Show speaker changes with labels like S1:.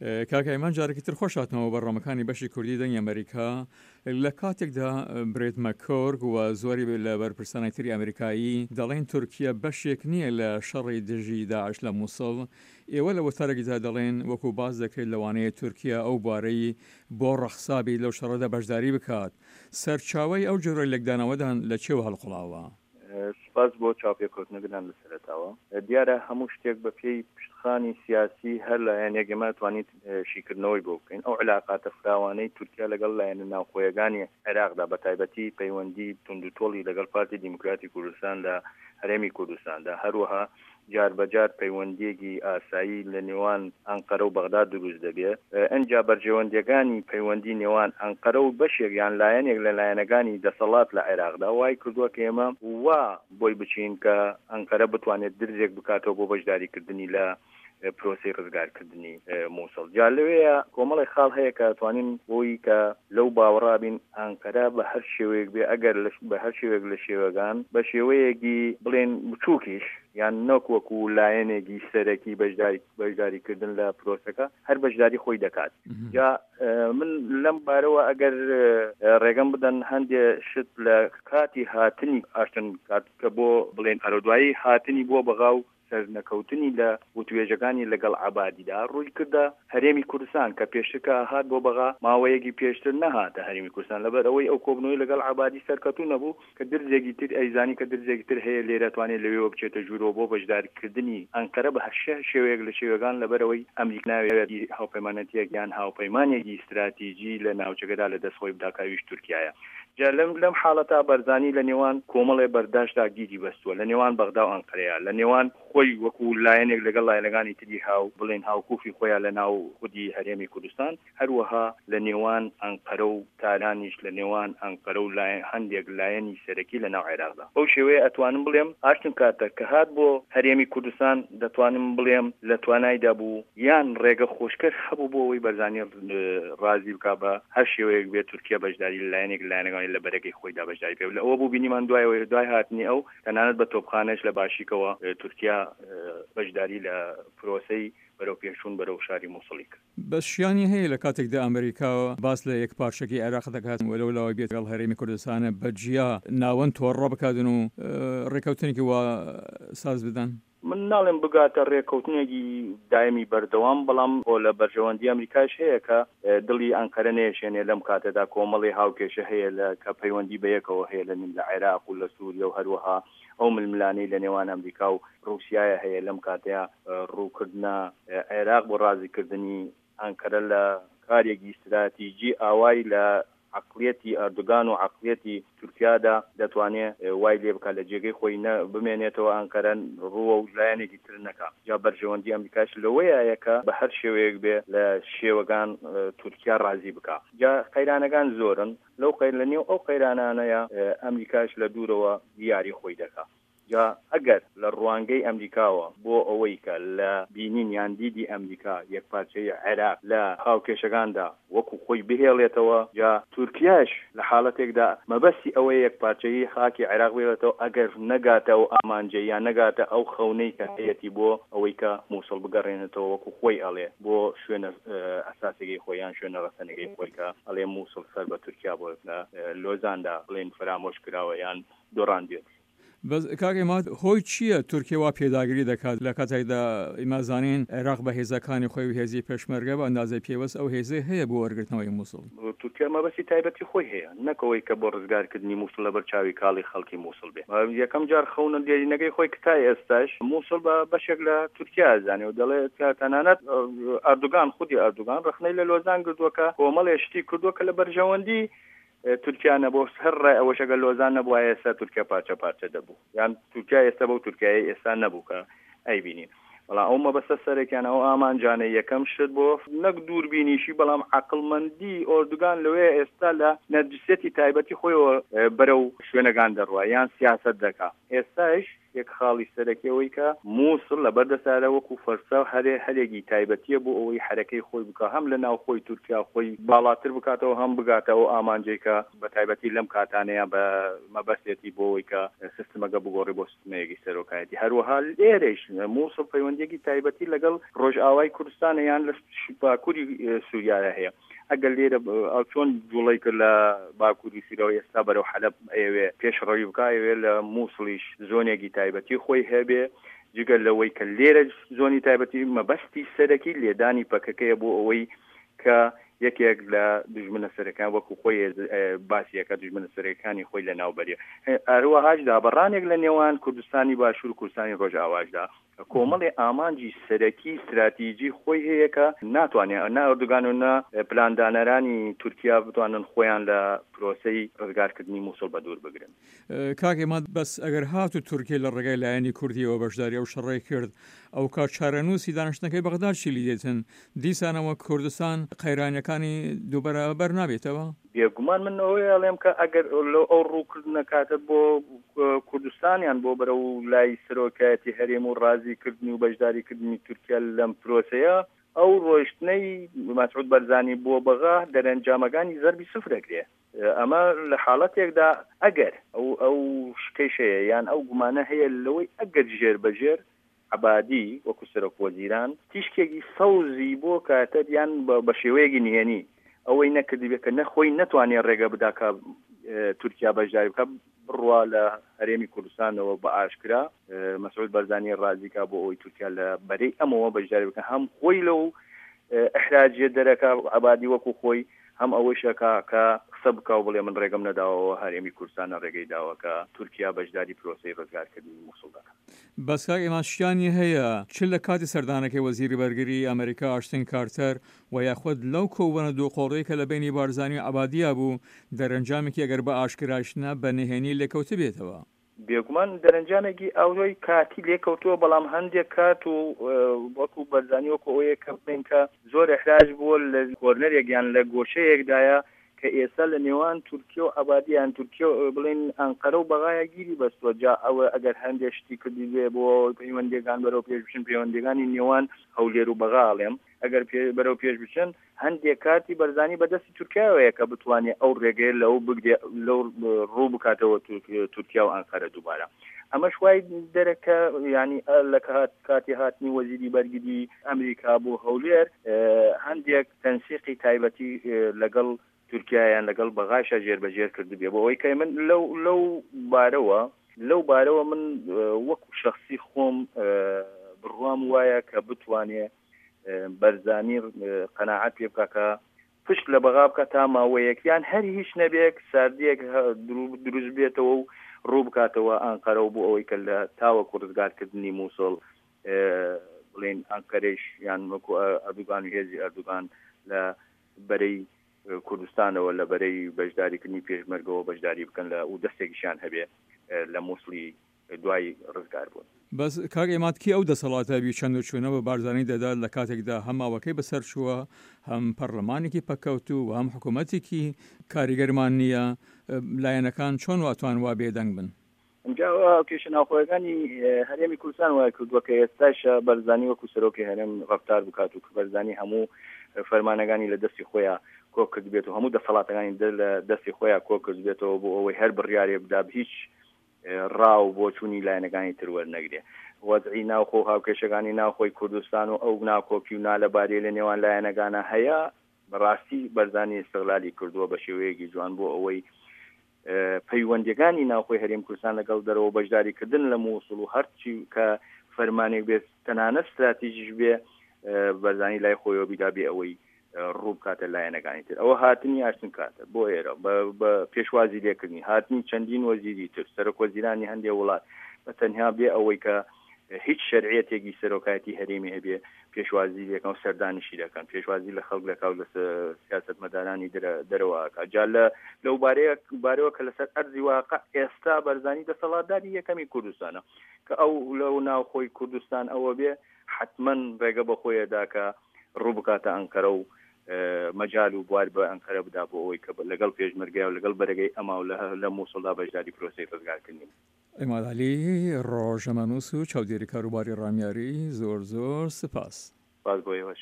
S1: کاک ئەیمەن جارێکی تر خۆش هاتنەوە بەرنامەکانی بەشی کوردی دەنگی ئەمەریکا. لە کاتێکدا برێت مەکۆرگ و زۆری لە بەرپرسانی تری ئەمریکایی دەڵێن تورکیە بەشێک نییە لە شەڕی دژی داعش لە موسڵ، ئێوە لە وتارێکدا دەڵێن وەکو باس دەکرێت لەوانەیە تورکیە ئەو بوارەی بۆ ڕەخسابیت لەو شەڕەدا بەشداری بکات. سەرچاوەی ئەو جۆرە لێکدانەوەدان لە چێوە هەڵقوڵاوە؟
S2: سوپاس بۆ چاوپێکەوتنەکەتان لە سەرەتاوە. دیارە هەموو شتێک بە پێی پشتخانی سیاسی هەر لایەنێک ئێمە توانین شیکردنەوەی بۆ بکەین. ئەو عیلاقاتە فراوانەی تورکیا لەگەڵ لایەنە ناوخۆیەکانی عێراقدا بە تایبەتی پەیوەندی توندوتۆڵی لەگەڵ پارتی دیموکراتی کوردستان لە هەرێمی کوردستاندا هەروەها جاربەجار پەیوەندییەکی ئاسایی لە نێوان ئەنقەرە و بەغدا دروست دەبێ، ئنجا بەرژەوەندییەکانی پەیوەندی نێوان ئەنقەرە و بەشێک یان لایەنێک لە لایەنەکانی دەسەڵات لە عێراقدا وای کردووە کە ئێمە وا بۆی بچین کە ئەنقەرە بتوانێت درزێک بکاتەوە بۆ بەشداریکردنی لە پرۆسەی ڕزگارکردنی مووسڵ. جا لەوێیە کۆمەڵێک خاڵ هەیە کە توانین بۆی کە لەو باوەڕا بین ئانقەرە بە هەر شێوەیەک بێ ئەگەر بە هەر شێوەیەک لە شێوەگان بە شێوەیەکی بڵێن بچووکیش یان نەک وەکو لایەنێکی سەرەکی بەشداری بەشداری کردن لە پرۆسەکە هەر بەشداری خۆی دەکات. جا من لەم بارەوە ئەگەر ڕێگەم بدەن هەندێ شت لە کاتی هاتنی ئاشتن کات کە بۆ بڵێن ئەرۆدوایی هاتنی بۆ بەغا و سەرنەکەوتنی لە وتوێژەکانی لەگەڵ عەبادیدا ڕووی کردە هەرێمی کوردستان کە پێشتر کە هات بۆ بەغا ماوەیەکی پێشتر نەهاتە هەرێمی کوردستان لەبەر ئەوەی ئەو کۆبنەوەی لەگەڵ عەبادی سەرکەتوو نەبوو کە درزێکی تر ئەیزانی کە درزێکی تر هەیە لێرە توانێت لەوێوە بچێتە ژوورەوە بۆ بەشدارکردنی ئەنقەرە بە هەر شێوەیەک لە شێوەکان لەبەر ئەوەی ئەمریکا ناوێت هاوپەیمانەتیەک یان هاوپەیمانێکی ستراتیجی لە ناوچەکەدا لە دەست خۆی بدا کە ئەویش تورکیایە. جا لەم لەم حاڵەتا بەرزانی لە نێوان کۆمەڵێ بەرداشدا گیری بەستووە، لە نێوان بەغدا و ئەنقەرەیا، لە نێوان خۆی وەکوو لایەنێک لەگەڵ لایەنەکانی تری هاو بڵێین هاوکوفی خۆیا لە ناو خودی هەرێمی کوردستان، هەروەها لە نێوان ئەنقەرە و تارانیش، لە نێوان ئەنقەرە و لایەن هەندێک لایەنی سەرەکی لە ناو عێراقدا. بەو شێوەیە ئەتوانم بڵێم ئاشتن کارتەر کە هات بۆ هەرێمی کوردستان دەتوانم بڵێم لە توانایدا بوو یان ڕێگە خۆشکەر هەبوو بۆ ئەوەی بەرزانی ڕازی بکا بە هەر شێوەیەک بێت تورکیا بەشداری لە لایەنێک لە لایەنەکانی لە بەرەکەی خۆیدا بەشداری پێ لە ئەوە بوو بینیمان دوای ئەوەی دوای هاتنی ئەو تەنانەت بە تۆپخانەش لە باشیکەوە تورکیا بەشداری لە پرۆسەی بەرەو پێشچوون بەرەو شاری موسڵی کرد.
S1: بەس شیانی هەیە لە کاتێکدا ئەمریکا باس لە یەکپارچەگی عێراق دەکات و لەولاوە بێت لەگەڵ هەرێمی کوردستانە بە جیا ناوەند تۆڕە بکاتن و ڕێکەوتنێکی وا ساز بدەن؟
S2: من ناڵێم بگاتە رێککەوتنێکی دایمی بەردەوام، بەڵام خۆ لە بەرژەوەندی ئەمریکاش هەیە کە دڵی ئەنقەرە نەیەشێنێ لەم کاتەدا کۆمەڵی هاوکێشە هەیە لە کە پەیوەندی بە یەکەوە هەیە لە لە عێراق و لە سوریە و هەروەها ئەو ململانێی لە نێوان ئەمریکا و روسیایە هەیە لەم کاتەیا رووکردنە عێراق بۆ رازیکردنی ئەنقەرە لە کارێکی ستراتیجی ئاوای لە عەقڵیەتی ئەردۆگان و عەقڵیەتی تورکیادا دەتوانێ وای لێ بکا لە جێگەی خۆی نە بمێنێتەوە ئەنقەرە ڕووە و لایەنێکی تر نەکا. جا بەرژەوەندی ئەمریکاش لەوەیایە کە بە هەر شێوەیەک بێ لە شێوەگان تورکیا ڕازی بکا. جا قەیرانەکان زۆرن لەو قەیر لە نێو ئەو قەیرانانەیا ئەمریکاش لە دوورەوە یاری خۆی دەکا. جا ئەگەر لە ڕوانگەی ئەمریکاوە بۆ ئەوەی کە لە بینین یان دیدی ئەمریکا یەکپارچەیی عێراق لە هاوکێشەکاندا وەکو خۆی بهێڵێتەوە، جا تورکیاش لە حاڵەتێکدا مەبەستی ئەوەیە یەکپارچەیی خاکی عێراق بهێڵێتەوە ئەگەر نەگاتە ئەو ئامانجەی یان نەگاتە ئەو خەونەی کە هەیەتی بۆ ئەوەی کە موسڵ بگەڕێنێتەوە وەکو خۆی ئەڵێ بۆ شوێنە ئەساسیەکەی خۆی یان شوێنە ڕەسەنەکەی خۆی کە ئەڵێ موسڵ سەر بە تورکیا بۆ لە لۆزاندا بڵێین فەرامۆش کراوە یان دۆڕاندوێتی.
S1: بەس کاک عیماد هۆی چییە تورکیە وا پێداگری دەکات لە کاتێکدا ئیمە زانین عێراق بە هێزەکانی خۆی و هێزی پێشمەرگە بە ئەندازەی پێوەست ئەو هێزەی هەیە بۆ وەرگرتنەوەی موسڵ؟
S2: تورکیا مەبەستی تایبەتی خۆی هەیە نەک ئەوەی کە بۆ ڕزگارکردنی موسڵ لەبەر چاوی کاڵی خەڵکی موسڵ بێ. یەکەم جار خەونە دێرینەکەی خۆی کە تا ئێستاش موسڵ بە بەشێک لە تورکیا ئەزانێ و دەڵێ تەنانەت ئەردوگان خودی ئەردوگان ڕەخنەی لە لۆزان گرتووە کە کۆمەڵێ شتی کردووە کە لە بەرژەوەندی تورکیا نەبوو هەر ڕای ئەوەش ئەگەر لۆزان نەبوایە ئێستا تورکیا پارچە پارچە دەبوو یان تورکیا ئێستا بەو تورکیایەی ئێستا نەبوو کە ئەیبینین بەڵام ئەو مەبەستە سەرەکیان ئەو ئامانجانە یەکەم شت بۆ نەک دووربینیشی بەڵام عەقڵمەندی ئۆردوگان لەوەیە ئێستا لە نەرجسیەتی تایبەتی خۆیەوە بەرەو شوێنەکان دەڕوا یان سیاسەت دەکا ئێستاش. یەک خاڵی سەرەکی ئەوەی کە مووسڵ لەبەر دەستایە وەکوو فەرسە هەرێ هەلێکی تایبەتییە بۆ ئەوەی حەرەکەی خۆی بکا هەم لە ناوخۆی تورکیا خۆی باڵاتر بکاتەوە هەم بگاتە ئەو ئامانجەی کە بە تایبەتی لەم کاتانەیا بە مەبەستێتی بۆ ئەوەی کە سیستمەکە بگۆڕێ بۆ سیستمەیەکی سەرۆکایەتی. هەروەها لێرەیش مووسڵ پەیوەندییەکی تایبەتی لەگەڵ ڕۆژئاوای کوردستانە یان لە باکووری سووریایا هەیە. ئەگەر لێرە ئەو چۆن جوڵەی کرد لە باکووری سووریا و ئێستا بەرەو حەلەب ئەیەوێ پێشڕەوی بکا، ئەیەوێ لە مووسڵیش زۆنێکی تایبەتی خۆی هەبێ. جگە لەوەی کە لێرە زۆنی تایبەتی مەبەستی سەرەکی لێدانی پەکەکەیە بۆ ئەوەی کە یەکێک لە دوژمنە سەرەکان وەکو خۆی باسی ئەکات دوژمنە سەرەکانی خۆی لەناو بەرێ. هەروەهاش دابڕانێک لە نێوان کوردستانی باشوور و کوردستانی ڕۆژئاواشدا کۆمەڵێ ئامانجی سەرەکی ستراتیجی خۆی هەیە کە ناتوانێ نە ئەردوگان و نە پلاندانەرانی تورکیا بتوانن خۆیان لە پرۆسەی ڕزگارکردنی موسڵ بەدوور بگرن.
S1: کاک عیماد بەس ئەگەر هاتوو تورکیە لە ڕێگای لایەنی کوردیەوە بەشداری ئەو شەڕەی کرد ئەوکات چارەنووسی دانیشتنەکەی بەغدا چی لیدێتن؟ دیسانەوە کوردستان قەیرانەکانی دووبەرابەر نابێتەوە؟
S2: بێگومان من ئەوەی ئەڵێم کە ئەگەر لەو ئەو ڕووکردنە کاتە بۆ کوردستان یان بۆ بەرەو لای سەرۆکایەتی هەرێم و ڕازی کردنی و بەشداری کردنی تورکیا لەم پرۆسەیە ئەو ڕۆیشتنەی مەسعود بەرزانی بۆ بەغا دەرەنجامەکانی زەربی سفر ئەگرێ. ئەمە لە حاڵەتێکدا ئەگەر ئەو ئەو شکەیش هەیە یان ئەو گومانە هەیە لەوەی ئەگەر ژێر بە ژێر عەبادی وەکو سەرۆک وەزیران تیشکێکی سەوزی بۆ کاتەر یان بە شێوەیەکی نهێنی ئەوەی نەکردبێ کە نە خۆی نەتوانێ ڕێگە بدا کە تورکیا بەشداری بکە بڕوا لە هەرێمی کوردستانەوە بە ئاشکرا مەسعود بەرزانی ڕازیکا بۆ ئەوەی تورکیا لە بەرەی ئەمەوە بەشداری بکە هەم خۆی لەو ئەحراجیە دەرەکا عەبادی وەکو خۆی هەم ئەوەیش ئەکا کە قسە بکا و بڵێ من ڕێگەم نەداوەوە هەرێمی کوردستان نە ڕێگەی داوە کە تورکیا بەشداری پرۆسەی ڕزگارکردنی موسڵ دەکات.
S1: بەس کاک عیماد شتیانی هەیە چ لە کاتی سەردانەکەی وەزیری بەرگری ئەمریکا ئاشتن کارتەر و یاخود لەو کۆبوونە دووقۆڵیەی کە لە بەینی بارزانی و عەبادیا بوو دەرەنجامێکی ئەگەر بە ئاشکرایش نا بە نهێنی لێکەوتبێتەوە.
S2: بێگومان دەرەنجامێکی ئاوهای کاتی لێکەوتووە، بەڵام هەندێک کات و وەکو بەرزانی وەکو ئەوەیە کە بڵێین کە زۆر ئیحراج بووە لە کۆرنەرێک یان لە گۆشەیەکدایە کە ئێستا لە نێوان تورکیە و عەبادی یان تورکیە و بڵێین ئەنقەرە و بەغایا گیری بەستووە جا ئەوە ئەگەر هەندێک شتی کردبێ بۆ پەیوەندییەکان بەرەو پێش بچن پەیوەندییەکانی نێوان هەولێر و بەغا ئەڵێم ئەگەر بەرەو پێش بچن هەندێک کارتی بەرزانی بە دەستی تورکیاوەیە کە بتوانێ ئەو ڕێگەیە لەو بگرێ لەو ڕوو بکاتەوە تورکیا و ئەنقەرە دووبارە ئەمەش وای دەرەکە ینی لە کاتی هاتنی وەزیری بەرگری ئەمریکا بۆ هەولێر هەندێک تەنسیقی تایبەتی لەگەڵ تورکیایان لەگەڵ بەغاشا ژێربەژێر کردبێ بۆ ئەوەی کە من لەو لەو بارەوە لەو بارەوە من وەکو شخصی خۆم بڕوام وایە کە بتوانێ بەرزانی قەناعەت پێ بکا کە پشت لە بەغا بکا تا ماوەیەک یان هەر هیچ نەبێک ساردیەک دروست بێتەوە و ڕوو بکاتەوە ئەنقەرە و بۆ ئەوەی کە لە تاوەکو ڕزگارکردنی مووسڵ بڵێن ئەنقەرەیش یان وەکو ئەردوگان و هێزی ئەردوگان لە بەرەی کوردستانەوە لە بەرەی بەشداریکردنی پێشمەرگەوە بەشداری بکەن لە و دەستێکیشیان هەبێ لە مووسڵی دوای ڕزگار بوون.
S1: بەس کاک عیماد کێ ئەو دەسەڵاتە بی چەند و چونە بە بارزانی دەدات لە کاتێکدا هەم ماوەکەی بەسەر چووە هەم پەڕلەمانێکی پەککەوتوو و هەم حکومەتێکی کاریگەرمان نییە لایەنەکان چۆن واتوان وا بێدەنگ بن؟
S2: ئینجا کێشە ناوخۆیەکانی هەرێمی کوردستان وای کردووە کە ئێستاش بەرزانی وەکو سەرۆکی هەرێم ڕەفتار بکات و کە بەرزانی هەموو فەرمانەکانی لە دەستی خۆیان کۆ کردبێت و هەموو دەسەڵاتەکانی لە دەستی خۆیان کۆ کردبێتەوە بۆ ئەوەی هەر بڕیارێ بدا هیچ ڕا و بۆچوونی لایەنەکانی تر وەرنەگرێ. وەزعی ناوخۆ و هاوکێشەکانی ناوخۆی کوردستان و ئەو ناکۆکی و نالەباریەی لە نێوان لایەنەکانا هەیە، بە ڕاستی بەرزانی ئیستغلالی کردووە بە شێوەیەکی جوان بۆ ئەوەی پەیوەندیەکانی ناوخۆی هەرێم کوردستان لەگەڵ دەرەوە بەشداری کردن لە مووسڵ و هەرچی کە فەرمانێک بێت تەنانەت ستراتیژیش بێ بەرزانی لای خۆیەوە بیدا بێ ئەوەی ڕوو بکاتە لایەنەکانی تر. ئەوە هاتنی ئاشتن کارتەر بۆ ئێرە بە پێشوازی لێکردنی هاتنی چەندین وەزیری تر، سەرۆک وەزیرانی هەندێ وڵات بە تەنها بێ ئەوەی کە هیچ شەرعیەتێکی سەرۆکایەتی هەرێمی هەبێ پێشوازی لێکەن و سەردانیشی دەکەن، پێشوازی لە خەڵک دەکا و لە سیاسەتمەدارانی دەرەوە ئەکا. جا لە لەو بارەیە بارەوە کە لەسەر ئەرزی واقع ئێستا بەرزانی دەسەڵاتداری یەکەمی کوردستانە کە ئەو لەو ناوخۆی کوردستان ئەوە بێ حەتمەن ڕێگە بە خۆی ئەدا کە ڕوو بکاتە ئەنقەرە و مەجال و بوار بە ئەنقەرە بدا بۆ ئەوەی کە لەگەڵ پێشمەرگە و لەگەڵ بەرەگەی ئەما و لە مووسڵدا بەشداری پرۆسەی ڕزگارکردنی بکات.
S1: عیماد عەلی، ڕۆژنامەنووس و چاودێری کاروباری ڕامیاری، زۆر زۆر سپاس.
S2: سپاس بۆ ئێوەش.